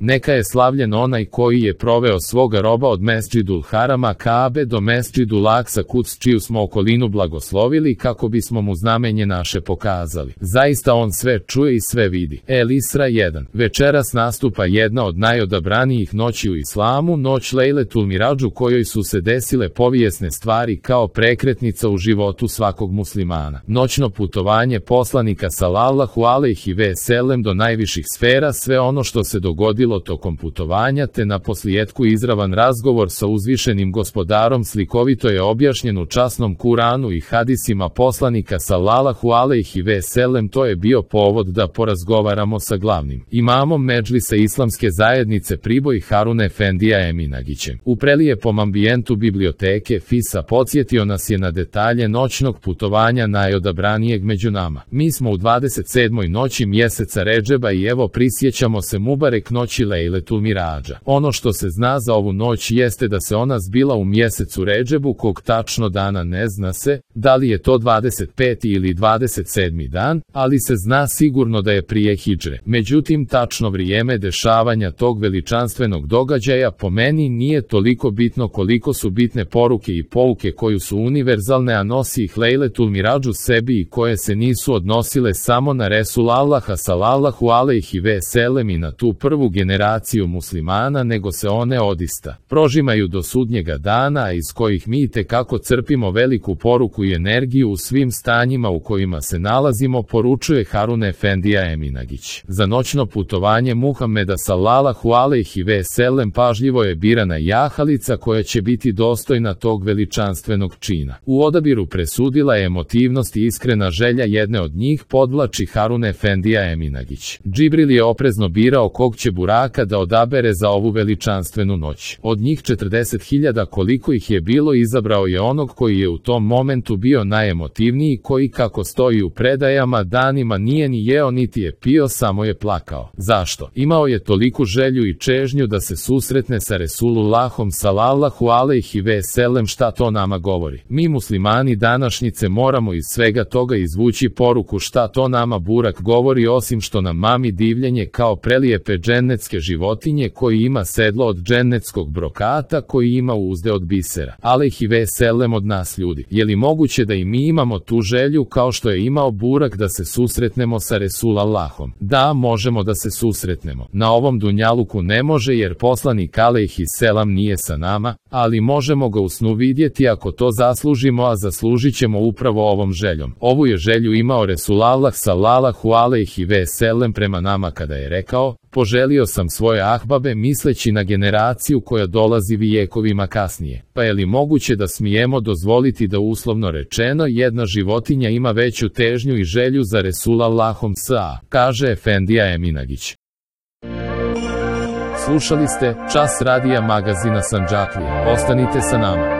Neka je slavljen onaj koji je proveo svoga roba od Mesdžidul Harama Kaabe do Mesdžidul Aksa Kuds, čiju smo okolinu blagoslovili kako bismo mu znamenje naše pokazali. Zaista on sve čuje i sve vidi. El Isra 1. Večeras nastupa jedna od najodabranijih noći u islamu, noć Lejletul Miradžu, kojoj su se desile povijesne stvari kao prekretnica u životu svakog muslimana. Noćno putovanje poslanika sallallahu alejhi ve sellem do najviših sfera, sve ono što se dogodilo tokom putovanja, te na posljetku izravan razgovor sa uzvišenim gospodarom slikovito je objašnjen u časnom Kuranu i hadisima poslanika sallallahu alejhi ve sellem. To je bio povod da porazgovaramo sa glavnim imamom Medžlisa Islamske zajednice Priboj Harun Efendija Eminagićem. U prelijepom ambijentu biblioteke FISA podsjetio nas je na detalje noćnog putovanja najodabranijeg među nama. Mi smo u 27. noći mjeseca Redžeba i evo prisjećamo se Mubarek noći Lejletul Miradža. Ono što se zna za ovu noć jeste da se ona zbila u mjesecu Redžebu, kog tačno dana ne zna se, da li je to 25. ili 27. dan, ali se zna sigurno da je prije hidžre. Međutim, tačno vrijeme dešavanja tog veličanstvenog događaja po meni nije toliko bitno koliko su bitne poruke i pouke koju su univerzalne, a nosi ih Lejletul Miradžu sebi i koje se nisu odnosile samo na Resul Allaha sallallahu alejhi ve sellem i na tu prvu generaciju muslimana, nego se one odista prožimaju do sudnjega dana, iz kojih mi tekako crpimo veliku poruku i energiju u svim stanjima u kojima se nalazimo, poručuje Harun Efendija Eminagić. Za noćno putovanje Muhameda sallallahu alejhi ve sellem pažljivo je birana jahalica koja će biti dostojna tog veličanstvenog čina. U odabiru presudila je emotivnost i iskrena želja jedne od njih, podvlači Harun Efendija Eminagić. Džibril je oprezno birao kog će buraka da odabere za ovu veličanstvenu noć. Od njih 40.000 koliko ih je bilo, izabrao je onog koji je u tom momentu bio najemotivniji, koji, kako stoji u predajama, danima nije ni jeo niti je pio, samo je plakao. Zašto? Imao je toliku želju i čežnju da se susretne sa Resulullahom sallallahu alejhi ve sellem. Šta to nama govori? Mi muslimani današnjice moramo iz svega toga izvući poruku šta to nama burak govori, osim što nam mami divljenje kao prelijepe džennetske životinje, koji ima sedlo od džennetskog brokata, koji ima uzde od bisera. Alejhi ve sellem od nas ljudi. Je li moguće da i mi imamo tu želju kao što je imao burak da se susretnemo sa Resulallahom? Da, možemo da se susretnemo. Na ovom dunjaluku ne može, jer poslanik alejhi selam nije sa nama, ali možemo ga u snu vidjeti ako to zaslužimo, a zaslužit ćemo upravo ovom željom. Ovu je želju imao Resulullah sallallahu alejhi ve sellem prema nama kada je rekao: poželio sam svoje ahbabe, misleći na generaciju koja dolazi vijekovima kasnije. Pa je li moguće da smijemo dozvoliti da, uslovno rečeno, jedna životinja ima veću težnju i želju za Resulallahom s.a., kaže Efendija Eminagić. Slušali ste Čas radija magazina Sandžaklija. Ostanite sa nama.